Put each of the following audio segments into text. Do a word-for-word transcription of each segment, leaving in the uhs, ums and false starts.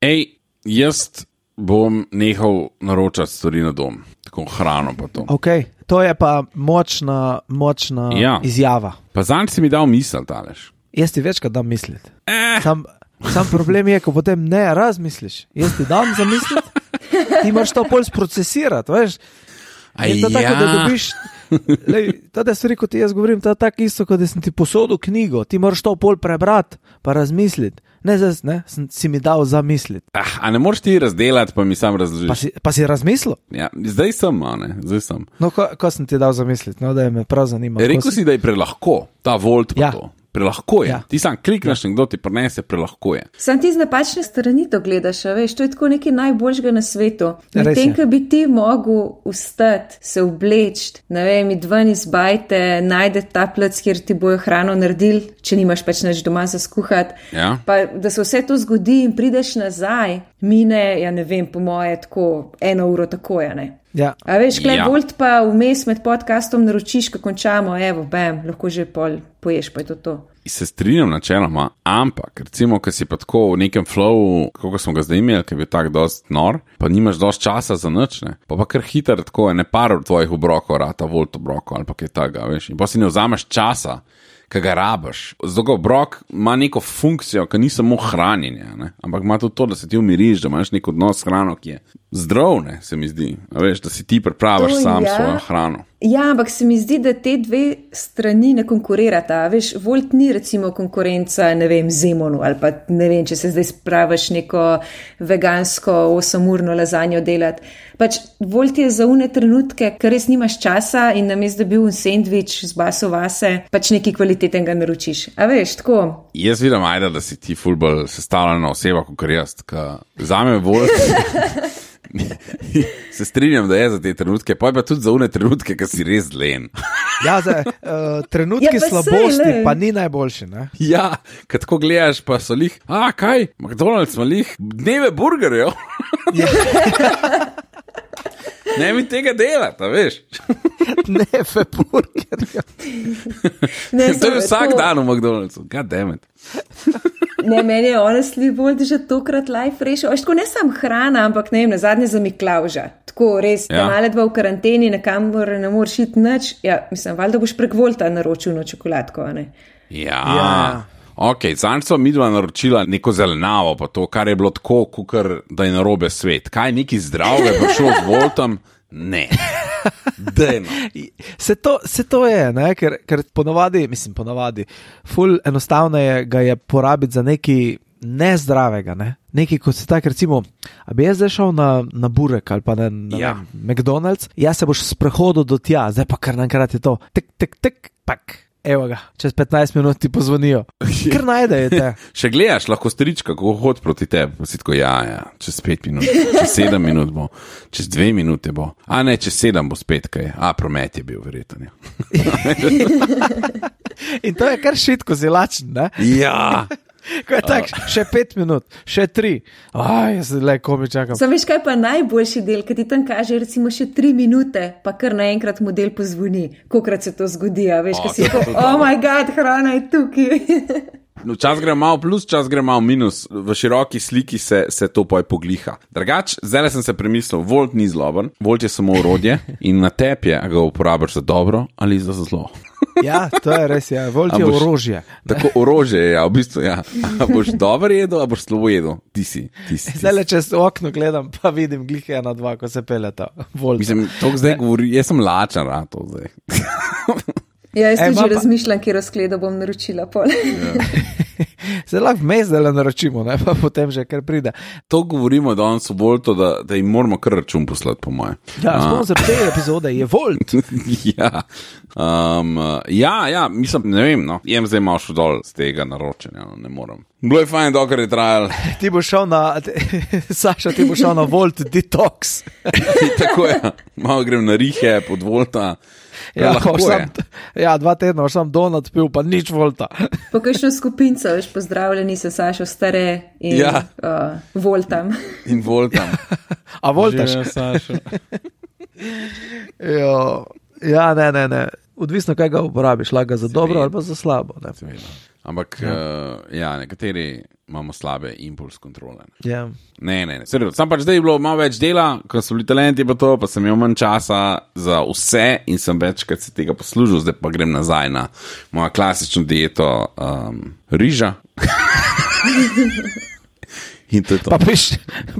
Ej, jaz bom nehal naročati stvari na dom, tako hrano pa to. Ok, to je pa močna, močna ja. izjava. Pa zanj si mi dal misel, Aleš. Jaz ti večkrat dam misliti. Eh. Sam, sam problem je, ko potem ne razmisliš. Jaz ti dam za misliti, ti moraš to pol sprocesirati, veš. Aj, je to tako, ja. da dobiš, lej, tada stvari, kot ti jaz govorim, to je tako isto, kot da sem ti posodil knjigo, ti moraš to pol prebrati, pa razmisliti. Ne, zdaj, ne, sem, si mi dal za misliti. Ah, a ne moreš ti razdelati, pa mi sam razložiš. Pa si, pa si razmislil? Ja, zdaj sem, a ne, zdaj sem. No, ko, ko sem ti dal za misliti, no, da je me prav zanima. Rekel si, da je prelahko, ta volt pa ja. to. Prelahko je. Ja. Ti sam klikneš, ja. nekdo ti prinese, prelahko je. Sam ti z napačne strani to gledaš, veš, to je tako nekaj najboljšega na svetu. Res Medtem, je. ko bi ti mogel vstati, se oblečti, ne vem, id ven iz bajte, najde ta plac, kjer ti bojo hrano naredili, če nimaš pač nič doma za skuhati. Ja. Pa da se vse to zgodi in prideš nazaj, mine, ja ne vem, po moje tako eno uro tako je, ne. Ja. A veš, klej Ja. volt pa vmes med podcastom naročiš, ko končamo, evo, bam, lahko že pol poješ, pa je to to. Se strinjam načeloma, ampak recimo, ko si pa tako v nekem flowu, kako smo ga zdaj imeli, ki je bil tak dost nor, pa nimaš dost časa za nič, ne, pa pa kar hiter tako je, ne par tvojih obrokov rata, volt obrokov ali pa kaj takega, veš, in pa si ne vzameš časa, ki ga rabiš. Zato obrok ima neko funkcijo, ki ni samo hranjenje, ne? Ampak ima tudi to, da se ti umiriš, da imaš nek odnos s hrano, ki je zdrav, ne, se mi zdi. A veš, da si ti pripraviš To sam ja. svojo hrano. Ja, ampak se mi zdi, da te dve strani ne konkurirata. Veš, volt ni recimo konkurenca, ne vem, Zemonu ali pa ne vem, če se zdaj spraviš neko vegansko osemurno lazanjo delati. Pač volt je za une trenutke, ker res nimaš časa in namesto da bi bil un sendvič z baso vase, pač nekaj kvalitetnega naročiš. A veš, tako. Jaz vidim, ajde, da si ti ful bolj sestavljena oseba, kot jaz, ka zame volt. Se strinjam, da je za te trenutke, pa je pa tudi za une trenutke, ki si res len. Ja, zdaj, uh, trenutki Ja, pa slabosti sej, ne. pa ni najboljši, ne? Ja, kad tako gledaš, pa so lih, a kaj, McDonald's ima lih dneve burgerjev. Ne mi tega delati, veš. Ne, fe burgerja. Ne, To je samo vsak to- dan v McDonald'su, god damn it. Ne, meni je honestly bolj že tokrat life rešil. Tako ne sam hrana, ampak ne vem, na zadnje za Miklavža. Tako res, Ja. ja. male dva v karanteni, nekamor ne moreš iti nič. Ja, mislim, valjda boš prek Volta naročil no čokoladko, a ne? Ja, Ja. ok, zanj so midva naročila neko zelenavo, pa to, kar je bilo tako, kukar, da je narobe svet. Kaj, neki zdravje prišlo z Voltom? Ne. Dejno. Se to, se to je, ne? Ker, ker ponovadi, mislim ponovadi, ful enostavno je ga je porabiti za nekaj nezdravega, ne? Nekaj, kot se tak, recimo, a bi jaz zdaj šel na, na burek ali pa na, na Ja. vem, McDonald's, jaz se boš sprehodil do tja, zdaj pa kar nankrat je to, tek, tek, tek, pak, evo ga, čez petnajst minut ti pozvonijo, kar najdete. Še gledaš, lahko strička, ko hodi proti tebi, pa si tako, ja, ja, čez pet minut, čez sedem minut bo, čez dve minute bo, a ne, čez sedem bo spet kaj, a promet je bil verjetno. In to je kar šitko zilačen, ne? Ja. Ko je tak, še pet minut, še tri, aj, jaz le komi čakam. Sam veš, kaj pa najboljši del, kad ti tam kaže recimo še tri minute, pa kar naenkrat model pozvoni, kolikrat se to zgodi, a veš, O, ko si to je tako, to oh my god, hrana je tukaj. No, čas gre malo plus, čas gre malo minus, v široki sliki se, se to poj pogliha. Drugač, zdaj sem se premislil, Volt ni zloben, Volt je samo orodje in na tebi je, a ga uporabiš za dobro ali za zlo. Ja, to je res, ja, Volt je A boš- orožje. Tako orožje je, ja, v bistvu, ja. A boš dobro jedel, a boš slabo jedel. Ti si, ti si. ti Zdaj si. le čez okno gledam, pa vidim glih ena, dva, ko se peljeta. Volt. Mislim, to zdaj govori, jaz sem lačen, a to zdaj. Ja, jaz Ej, tudi ima že pa- razmišljam, kje razkledo bom naročila pol. Se lahko vmes zdaj le naročimo, ne, pa potem že kar pride. To govorimo danes v Voltu, da, da jim moramo kar račun poslati, po moje. Ja, spomnim se te epizode, je Volt. ja. Um, ja, ja, mislim, ne vem, no, jem zdaj malo šel dol z tega naročanja, no, ne morem. Bilo je fajn, dokler je trajal. Ti bo šel na, Saša, ti bo šel na Volt Detox. Tako je, malo grem na rihe pod Volta. Ja, lahko boš je. sam, ja, dva tedna boš sam donut pil, pa nič Volta. Po kakšno skupinco, veš, pozdravljeni se Sašo stare in Ja. uh, Voltam. In Voltam. A Voltaš? Živijo, Sašo. Jo, ja, ne, ne, ne. Odvisno, kaj ga uporabiš, lahko ga za dobro ali pa za slabo. Ne. Seveda. Ampak ja. Uh, ja, nekateri imamo slabe impuls kontrole. Ja. Ne, ne, ne. Serjo, sam pač zdaj je bilo malo več dela, ko so bili talenti pa to, pa sem imel manj časa za vse in sem večkrat se tega poslužil, zdaj pa grem nazaj na mojo klasično dieto um, riža. In to je to. Pa, piš,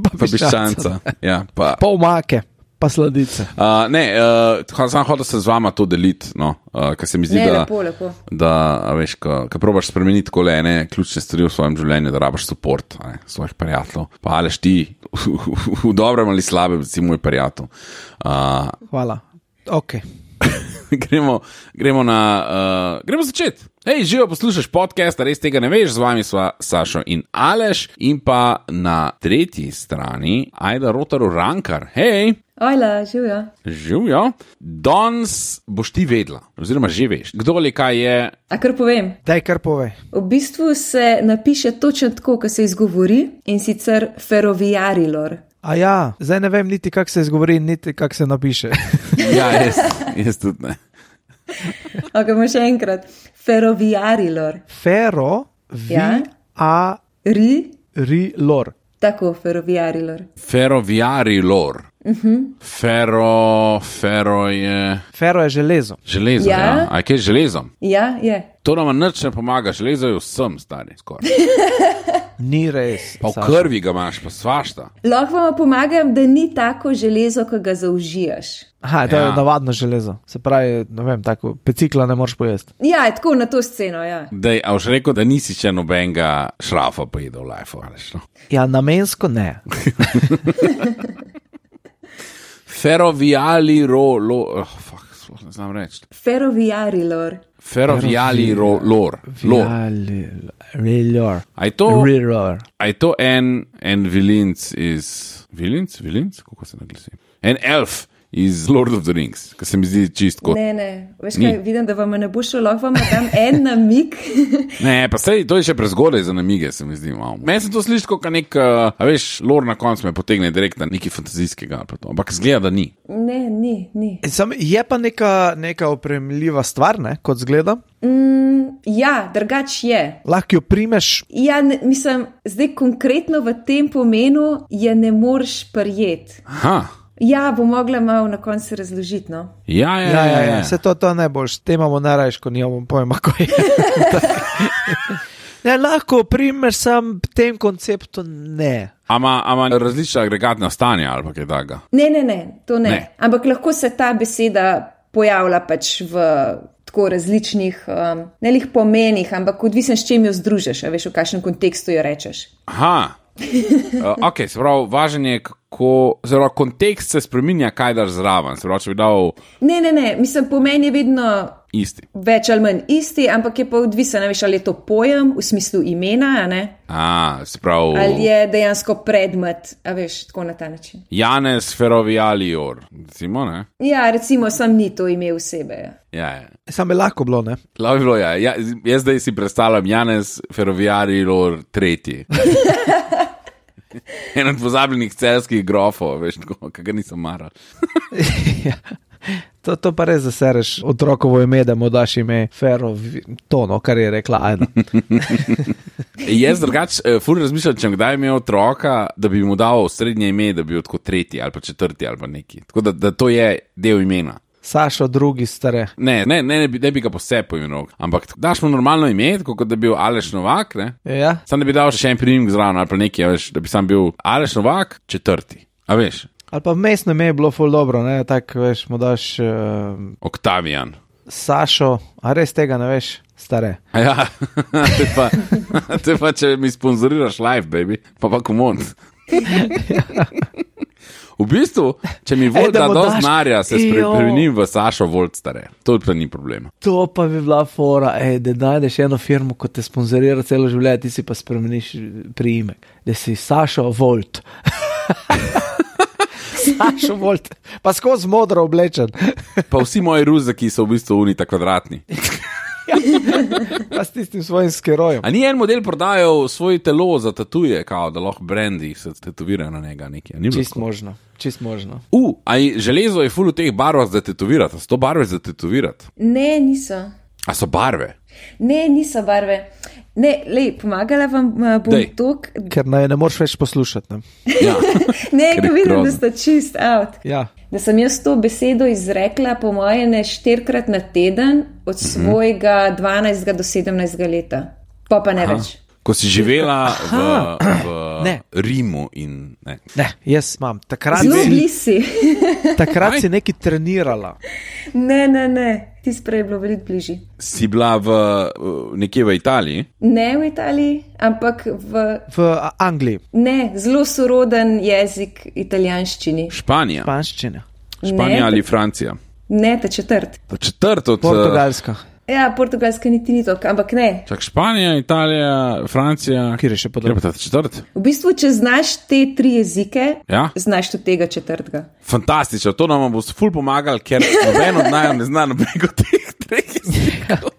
pa, pa piščanca. Ja, pa... pa omake, pa sladice. Uh, ne, uh, sam hotel se z vama to deliti, no, uh, ker se mi zdi, ne, da, lepo, lepo. da a veš, ko, ko probaš spremeniti kole ene ključne stvari v svojem življenju, da rabaš support ne, svojih prijateljev. Pa aleš ti v, v, v dobrem ali slabem, si moj prijatelj. Uh, Hvala. Ok. gremo, gremo na, uh, gremo začeti. Hej, živo poslušaš podcast, res tega ne veš, z vami sva Sašo in Aleš in pa na tretji strani Ajda Rotar Urankar. Hej! Ojla, živjo. Živjo. Danes boš ti vedela, oziroma že veš, kdo ali kaj je. A kar povem? Daj, kar povej. V bistvu se napiše točno tako, kot se izgovori, in sicer Ferroviarilor. A ja, zdaj ne vem niti, kak se izgovori, niti kak se napiše. Ja, jaz, jaz tudi ne. Ok, bomo še enkrat. Ferroviarilor. Ferro, vi, Ja. a, Ri, ri, lor. tako, Ferroviarilor. Ferroviarilor. Uh-huh. Ferro, ferro je... Ferro je železo. Železo, ja. Ja. ja. A je kaj z železom? Ja, je. To nam nič ne pomaga, železo je vsem stari, skoraj. Ni res. Pa v Saša. krvi ga imaš, pa svašta. Lahko vam pomagam, da ni tako železo, ko ga zaužijaš. Aha, to Ja. je navadno železo. Se pravi, ne vem, tako pecikla ne moreš pojesti. Ja, je tako na to sceno, ja. Dej, a boš rekel, da nisi še nobenega šrafa pojedel v life, ali no? Ja, namensko ne. Ferrovialiro, lo, oh, fuck, sploh ne znam reči. Ferroviarilor. Ferrovialiro, lor. Lor. Rilor. A je to, Rilor. a je to en, en vilinc iz... Vilinc? Vilinc? Kako se naglasi? En elf iz Lord of the Rings, ki se mi zdi čist kot... Ne, ne, veš Ni. kaj, vidim, da vam ne bo šlo, lahko vam dam en namig. Ne, pa sej, to je še prezgodaj za namige, se mi zdi malo. Meni se to sliši kot nek, uh, a veš, lor na koncu me potegne direkt na nekaj fantazijskega, ali pa to. Ampak zgleda, da ni. Ne, ni, ni. Sam, je pa neka, neka opremljiva stvar, ne, kot zgleda. Mm, ja, drugač je. Lahko jo primeš. Ja, ne, mislim, zdaj konkretno v tem pomenu je ne moreš prijeti. Aha, Ja, bo mogla malo na koncu razložiti, no. ja, ja, Ja, ja, ja, ja. ja. Se to, to ne boš. Te imamo najrajš, ko nimamo pojma, ko je. Ne, lahko primeš sam tem konceptu, ne. Ama, ama različna agregatna stanja ali pa kaj takega. Ne, ne, ne, to ne. Ne. ne. Ampak lahko se ta beseda pojavlja pač v tako različnih, um, ne lih pomenih, ampak odvisno s čem jo združiš, a veš, v kakšnem kontekstu jo rečeš. Aha. Uh, ok, se pravi, važen je, kako, zelo kontekst se spreminja, kaj daš zraven. Se pravi, če bi dal Ne, ne, ne, mislim, pomen je vedno isti. več ali manj isti, ampak je pa odvisno, ne veš, ali je to pojem v smislu imena, a ne? A, se pravi, Ali je dejansko predmet, a veš, tako na ta način. Janez Ferrovialior, recimo, ne? Ja, recimo, sam ni to ime osebe. Ja. Ja, ja. Sam je lahko bilo, ne. Lahko bi bilo, ja. ja. Jaz zdaj si predstavljam Janez Ferrovialior tretji. En od pozabljenih celskih grofov, veš, tako, ki ga nisem maral. Ja. To, to pa res zasereš otrokovo ime, da mu daš ime Ferro, to, no, kar je rekla Ajda. Jaz drugač, uh, ful razmišljam, če kdaj imel otroka, da bi mu dal srednje ime, da bi bil tako tretji ali pa četrti ali pa neki. Tako da, da to je del imena. Sašo, drugi stare. Ne, ne, ne, ne, bi, ne bi ga posebej poimenoval, ampak daš mu normalno ime, tako kot da bi bil Aleš Novak, ne? Ja, Sam da bi dal še en priimek zraven ali pa nekaj, a veš, da bi sam bil Aleš Novak četrti. A veš, ali pa mestno ime je bilo ful dobro, ne, tak, veš, mu daš uh, Oktavijan. Sašo, a res tega ne veš, stare. A ja, te pa, te pa če mi sponzoriraš live, baby, pa pa komod. V bistvu, če mi Volt da mu do daš- znarja, se Jo. spremenim v Sašo Volt stare. To pa ni problema. To pa bi bila fora, ej, da najdeš eno firmo, ko te sponzorira celo življenje, ti si pa spremeniš priimek, da si Sašo Volt. Sašo Volt, pa skozi modro oblečen. Pa vsi moji ruzaki so v bistvu unita kvadratni. Pa s tistim svojim skerojem. A ni en model prodajal svoje telo za tatuje, kao, da lahko brendi se tetovirajo na njega nekaj? Ni bilo Čist tako? možno, čist možno. U, a je železo je ful v teh barvah za tetovirati, a so to barve za tetovirati? Ne, niso. A so barve? Ne, niso barve. Ne, lej, pomagala vam uh, bom Dej. tok. Ker naj ne moreš več poslušati. Ne? Ja. Ne, Ker je ko vidim, grozno. da sta čist out. Ja. Da sem jaz to besedo izrekla po moje ne štirikrat na teden od svojega dvanajstega do sedemnajstega leta. Pa pa ne Aha. več. Ko si živela v, Ne. v Rimu in ne. Ne, jaz imam. Takrat, Zelo si, blisi. takrat Aj. si nekaj trenirala. Ne, ne, ne. Ti sprej je bilo veliko bližji. Si bila v, v- nekje v Italiji? Ne v Italiji, ampak v V A- Angliji, ne, zelo soroden jezik italijanščini. Španija. španščina, Španija Ne. ali Francija? Ne, ta četrt. To četrt od... Portugalska, Ja, portugalska niti ni tok, ampak ne. Čak Španija, Italija, Francija. kjer je še Kjer je pa podobno. ta četrt? V bistvu, če znaš te tri jezike, Ja. znaš tudi tega četrtega. Fantastično, to nam bo ful pomagal, ker noben od naj ne zna nobenega od teh treh jezikov.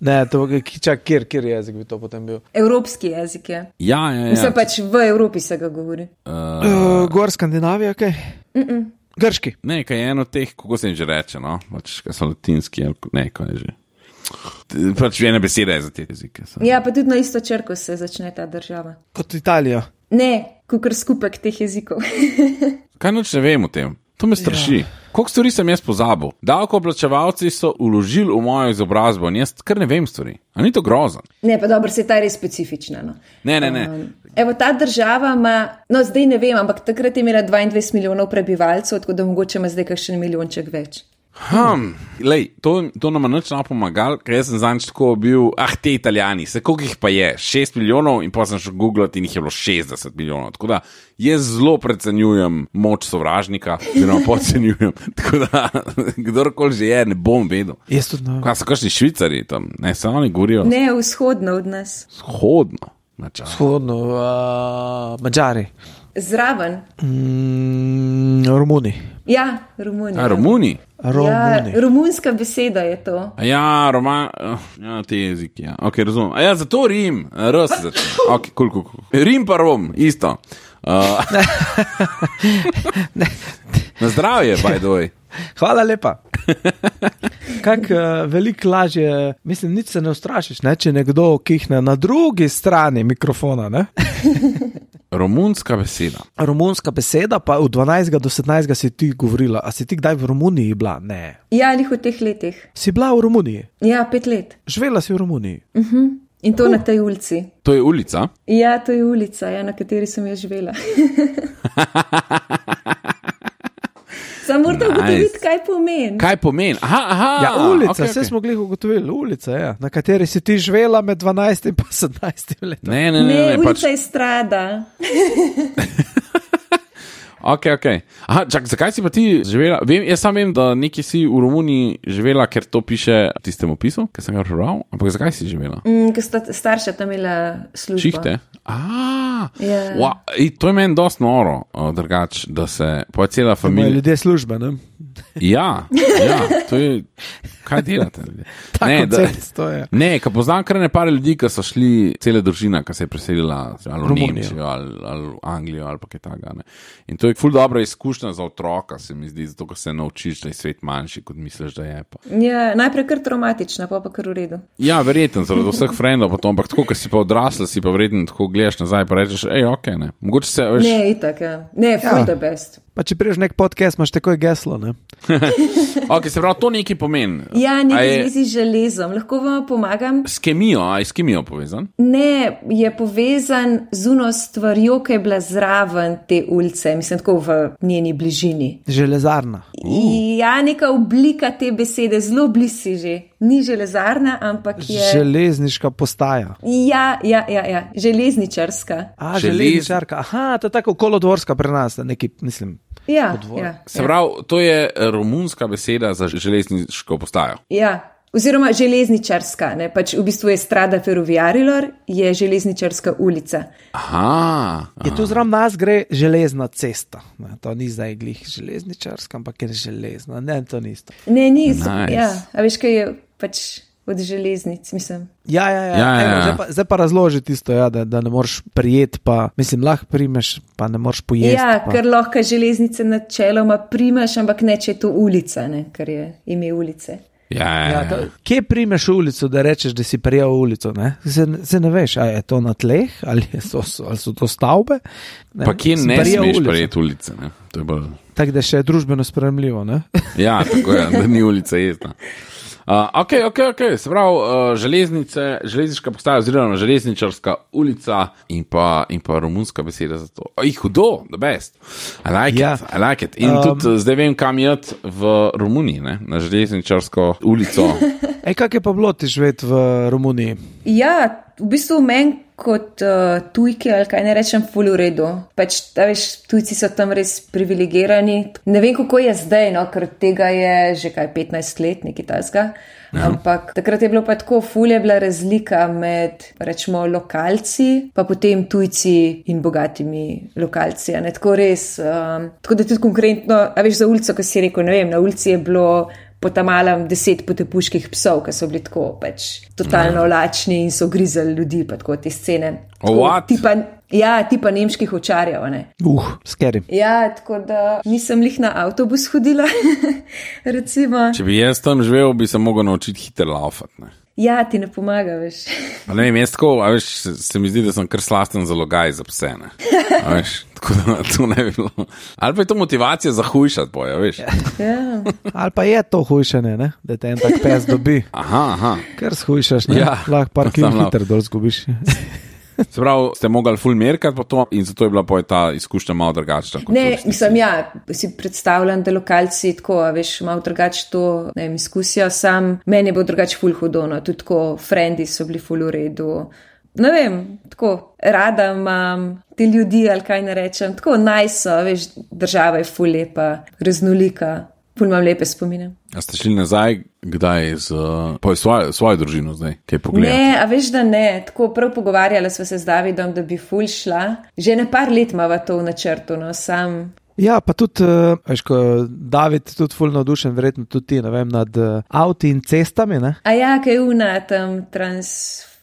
Ne, to čak, kjer, kjer jezik bi to potem bil? Evropski jezik je. Ja, ja, Vse ja. pač v Evropi se ga govori. Uh, Gor Skandinavija, kaj? Okay? Grški. Ne, kaj je eno od teh, kako se jim že reče, no? Pač, kaj so latinski, ali ko- ne, kaj je že. T- Pač ena beseda je za te jezike. so. Ja, pa tudi na isto črko se začne ta država. Kot Italija. Ne, kukor skupek teh jezikov. Kaj noč ne vem o tem? To me straši. Ja. Koliko stvari sem jaz pozabil? Davkoplačevalci so uložili v mojo izobrazbo in jaz kar ne vem stvari. A ni to grozen? Ne, pa dobro, se ta res specifična. No. Ne, ne, ne. Um, evo, ta država ima, no zdaj ne vem, ampak takrat je imela dvaindvajset milijonov prebivalcev, tako da mogoče ima zdaj kakšen milijonček več. Hmm, lej, to, to nam nič ne pomagal, ker jaz sem zanj tako bil, ah, te Italijani, se koliko jih pa je, šest milijonov in pa sem šel googlati in jih je bilo šestdeset milijonov. Tako da jaz zelo precenjujem moč sovražnika, oziroma podcenjujem. Tako da kdorkoli že je, ne bom vedel. Jaz tudi ne. Kaj so kakšni Švicari tam, ne, samo oni govorijo Ne, vzhodno od nas. shodno. Vzhodno, uh, Mađari, Zraven. mm, Romuni. Ja, Romunija. A, Romuni? Romuni. Ja, romunska beseda je to. A ja, Roma, uh, ja, te jeziki, ja. Ok, razumem. A ja, zato Rim, R se začne. Ok, kul, kul, kul. Rim pa Rom, isto. Uh, na zdravje, by the way. Hvala lepa. Kak uh, veliko lažje, mislim, nič se ne ustrašiš, ne, če nekdo kihne na drugi strani mikrofona. Ne? Romunska beseda. Romunska beseda, pa v dvanajstega do sedemnajstega si ti govorila. A si ti kdaj v Romuniji bila? Ne. Ja, lih v teh letih. Si bila v Romuniji? Ja, pet let. Živela si v Romuniji? In to uh. na tej ulici. To je ulica. Ja, to je ulica, ja, na kateri sem jaz živela. Samo morate Nice. ugotoviti, kaj pomeni. Kaj pomeni? Aha, aha. Ja, ulica, okay, vse okay. smo glih ugotovili, ulica, ja, na kateri si ti živela med dvanajstim in sedemnajstim letom. Ne, ne, ne, Ne, ne, ne ulica pač. je strada. Ok, ok. Aha, čak, zakaj si pa ti živela? Vem, jaz sam vem, da nekje si v Romuniji živela, ker to piše v tistem opisu, ker sem ga prebral. Ampak zakaj si živela? Mm, ker sta starša tam imela službo. Šihte. Ah, Ja. wow, ej, to je meni dosti noro, uh, drugač, da se pa cela Imajo familija. ljudje službe, ne? Ja, ja, to je. Kaj delate? ljudje? Ta Ne, da- koncept, to je. Ne, ka poznam kar ne par ljudi, ki so šli, cele družina, ki se je preselila ali v Romunijo. Nemčijo ali, ali v Anglijo ali pa kaj takega. ne. In to je ful dobra izkušnja za otroka, se mi zdi, zato ko se naučiš, da je svet manjši, kot misliš, da je. Pa. Ja, najprej kar traumatična, pa pa kar v redu. Ja, verjetno, zaradi vseh frendov, pa to, ampak tako, ker si pa odrasla, si pa verjetno tako gledaš nazaj, pa rečeš, hej, ok, ne. Mogoče se, veš, Ne, itak, ja. Ne, full Ja. the best. Pa če priješ nek podcast, imaš takoj geslo, ne? ok, se pravi, to nekaj pomeni. Ja, A nekaj je zvezi z železom. Lahko vam pomagam? S kemijo, a je s kemijo povezan? Ne, je povezan z uno stvarjo, ki je bila zraven te ulice, mislim, tako v njeni bližini. Železarna. Uh. Ja, neka oblika te besede, zelo blizu že. Ni železarna, ampak je. Železniška postaja. Ja, ja, ja, ja. Železničarska. A, Želez- železničarka. Aha, to je tako kolodvorska pri nas, neki, mislim. Ja, Odvor. ja, Se ja. pravi, to je romunska beseda za železniško postajo. ja. Oziroma železničarska, ne? Pač v bistvu je Strada Ferroviarilor, je železničarska ulica. Aha. Je tu zraven nas gre železna cesta. Ne, to ni zdaj glih železničarska, ampak je železna. Ne, to ni isto. Ne, ni. Nice. Ja, a veš, kaj je pač od železnic, mislim. Ja, ja, ja. Ja, ja, Evo, ja. zdaj, pa, zdaj pa razloži tisto, ja, da, da ne moreš prijeti, pa mislim, lahko primeš, pa ne moreš pojesti. Ja, pa. ker lahko železnice načeloma primaš, ampak ne, če je to ulica, ne? Ker je ime ulice. Ja, ja, Ja, ja. to, kje primeš ulico, da rečeš, da si prijel ulico? Ne? Se, se ne veš, ali je to na tleh, ali, je to, ali so to stavbe. Ne? Pa kje Si ne prijel smeš ulico. prijeti ulice? Ne? To je bolj... Tako da še je družbeno sprejemljivo. Ne? Ja, tako je, da ni ulica jezna. Uh, ok, ok, ok, se pravi, uh, železnice, železniška postaja oziroma železničarska ulica in pa, in pa romunska beseda za to. Oj, hudo, the best. I like Ja. it, I like it. In Um, tudi zdaj vem, kam jeti v Romuniji, ne? Na železničarsko ulico. Ej, kak je pa bilo ti živeti v Romuniji? Ja, v bistvu meni kot uh, tujki, ali kaj ne rečem, ful v redu. Pač, da veš, tujci so tam res privilegirani. Ne vem, kako je zdaj, no, ker tega je že kaj petnajst let, nekaj tasga. Ja. Ampak takrat je bilo pa tako, ful je bila razlika med, rečemo, lokalci, pa potem tujci in bogatimi lokalci. A ne, tako res, um, tako da tudi konkretno, a veš, za ulico, ko si rekel, ne vem, na ulici je bilo po tam malem deset potepuških psov, ki so bili tako pač totalno lačni in so grizali ljudi, pa tako te scene. Tako, What? tipa, ja, tipa nemških očarjev, ne. Uh, skeri. Ja, tako da nisem lih na avtobus hodila, recimo. Če bi jaz tam živel, bi se mogel naučiti hiter laufati, ne? Ja, ti ne pomaga, veš. Pa ne vem, jaz tako, a veš, se, se mi zdi, da sem kar slasten za logaj za pse, ne? A veš, tako da to ne bi bilo. Ali pa je to motivacija za hujšati, boja, veš? Ja. Ali pa je to hujšanje, ne? Da te en tak pes dobi. Aha, aha. Ker shujšaš, ne? Ja. Lahko par Sam kilometrov dol zgubiš. Se pravi, ste mogli ful merkati po to in zato je bila poje ta izkušnja malo drugačna. kot Ne, turisti. mislim, ja, si predstavljam, da lokalci tako, a veš, malo drugače to, ne vem, izkusijo, sam meni je bilo drugače ful hudono, tudi tako, frendi so bili ful v redu. Ne vem, tako, rada imam te ljudi, ali kaj ne rečem, tako nice so, veš, država je ful lepa, raznolika, ful imam lepe spomine. A ste šli nazaj, kdaj z uh, svojo, svojo družino zdaj, kaj pogledati? Ne, a veš, da ne, tako prav pogovarjala sva se z Davidom, da bi ful šla. Že ne par let imava to v načrtu, no, sam. Ja, pa tudi, uh, veš, ko David tudi ful navdušen, verjetno tudi ti, ne vem, nad uh, avti in cestami, ne? A ja, kaj je una tam trans...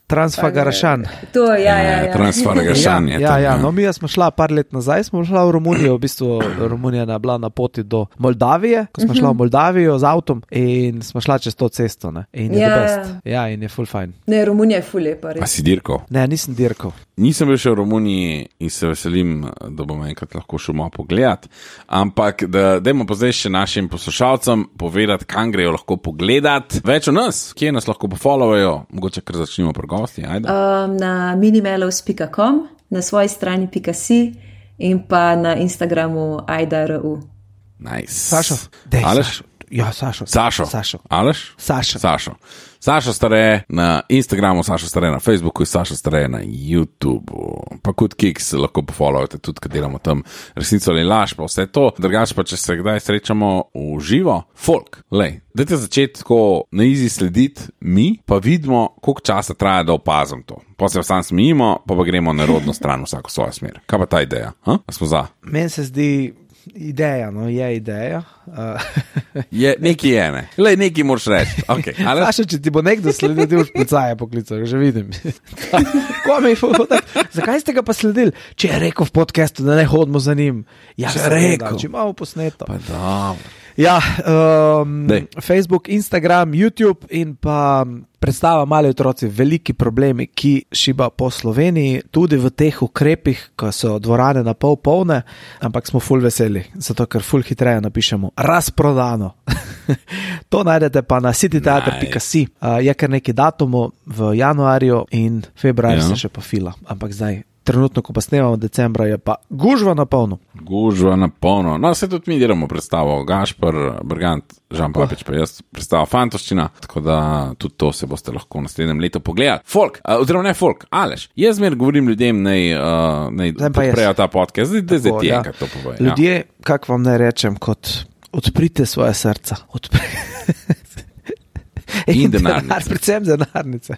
Transfagarašan. To, ja, ja, ja. Transfagarašan je Ja, tam, ja, no mi smo šla par let nazaj, smo šla v Romunijo, v bistvu Romunija je bila na poti do Moldavije, ko smo šla v Moldavijo z avtom in smo šla čez to cesto, ne? In je Ja. the best. Ja, in je full fine. Ne, Romunija je ful lepa, A res. si dirkal? Ne, nisem dirkal. Nisem bil še v Romuniji in se veselim, da bom enkrat lahko šel malo pogledat, ampak da dajmo pa zdaj še našim poslušalcem povedati, kam grejo lahko pogledat. Več o nas, kje nas lahko pofollowajo, mogoče kar začnimo pri gosti, ajde. Um, na minimelos pika com, na svoji strani .si in pa na Instagramu ajdaru. Nice. Sašo, dej, Aleš? Sašo. Ja, Sašo. Sašo. Sašo. Aleš? Sašo. Sašo. Sašo Stare na Instagramu, Sašo Stare na Facebooku in Sašo Stare na YouTubu. Pa kot Kiks lahko pofollowate tudi, kad delamo tam resnico ali laž, pa vse to. Drugač pa, če se kdaj srečamo v živo, folk, lej, dajte začeti tako na easy slediti mi, pa vidimo, koliko časa traja, da opazim to. Pa se sam smijimo, pa pa gremo na rodno stran vsako svojo smer. Kaj pa ta ideja? Ha? A smo za? Meni se zdi ideja, no, je ideja. Uh, Je, neki je, ne. Lej, neki moraš reči. Okay. Ali... Sašo, če ti bo nekdo sledil, ti boš policaja poklical, že vidim. Ko mi je bilo tako, zakaj ste ga pa sledili? Če je rekel v podcastu, da ne hodimo za njim. Ja, Če je seveda, rekel. Če imamo posneto. Pa dobro. Ja, um, Dej. Facebook, Instagram, YouTube in pa predstava Mali otroci, veliki problemi, ki šiba po Sloveniji, tudi v teh ukrepih, ko so dvorane na pol polne, ampak smo ful veseli, zato ker ful hitreje napišemo razprodano. To najdete pa na citytheater pika si. Uh, je kar neki datumov v januarju in februarju Ja. se še pa fila, ampak zdaj trenutno, ko pa snemamo decembra, je pa gužva na polno. Gužva na polno. No, vse tudi mi delamo predstavo. Gašpar, Brgant, Žan Papič, pa jaz predstava Fantoščina, tako da tudi to se boste lahko v naslednjem letu pogledali. Folk, uh, oziroma ne folk, Aleš, jaz zmer govorim ljudem, naj, uh, naj Zdaj pa jaz. podprejo ta podcast, zdaj, zdaj Tako, ti ja. enkrat to povej. Ljudje, kako vam naj rečem, kot odprite svoje srca. Odpri... In denarnice. Denar, predvsem denarnice.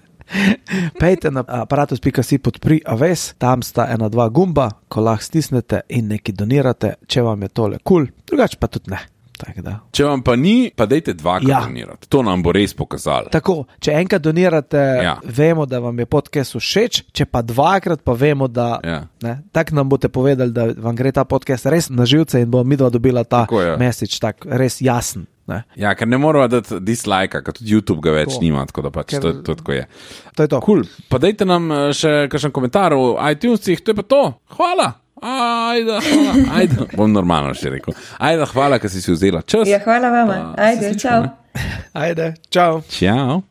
Pejte na aparatus pika si podpri aves, tam sta ena dva gumba, ko lahko stisnete in nekaj donirate, če vam je tole kul, cool, drugače pa tudi ne. Tak, da. Če vam pa ni, pa dejte dvakrat Ja. donirati. To nam bo res pokazalo. Tako, če enkrat donirate, Ja. vemo, da vam je podcast všeč, če pa dvakrat, pa vemo, da Ja. ne, tak nam boste povedali, da vam gre ta podcast res na živce in bo midva dobila ta Tako je. message, tak res jasen. Ne? Ja, ker ne moramo dati dislajka, ker tudi YouTube ga več To. nima, tako da pač Ker- to, to tako je. To je to. Cool. Pa dajte nam eh, še kakšen komentar v iTunesih, to je pa to. Hvala. Ajde, hvala. Ajde. Bom normalno še rekel. Ajde, hvala, ker si si vzela čas. Ja, hvala vama. Pa se Ajde, slišimo, čau. ne? Ajde, čau. Ciao.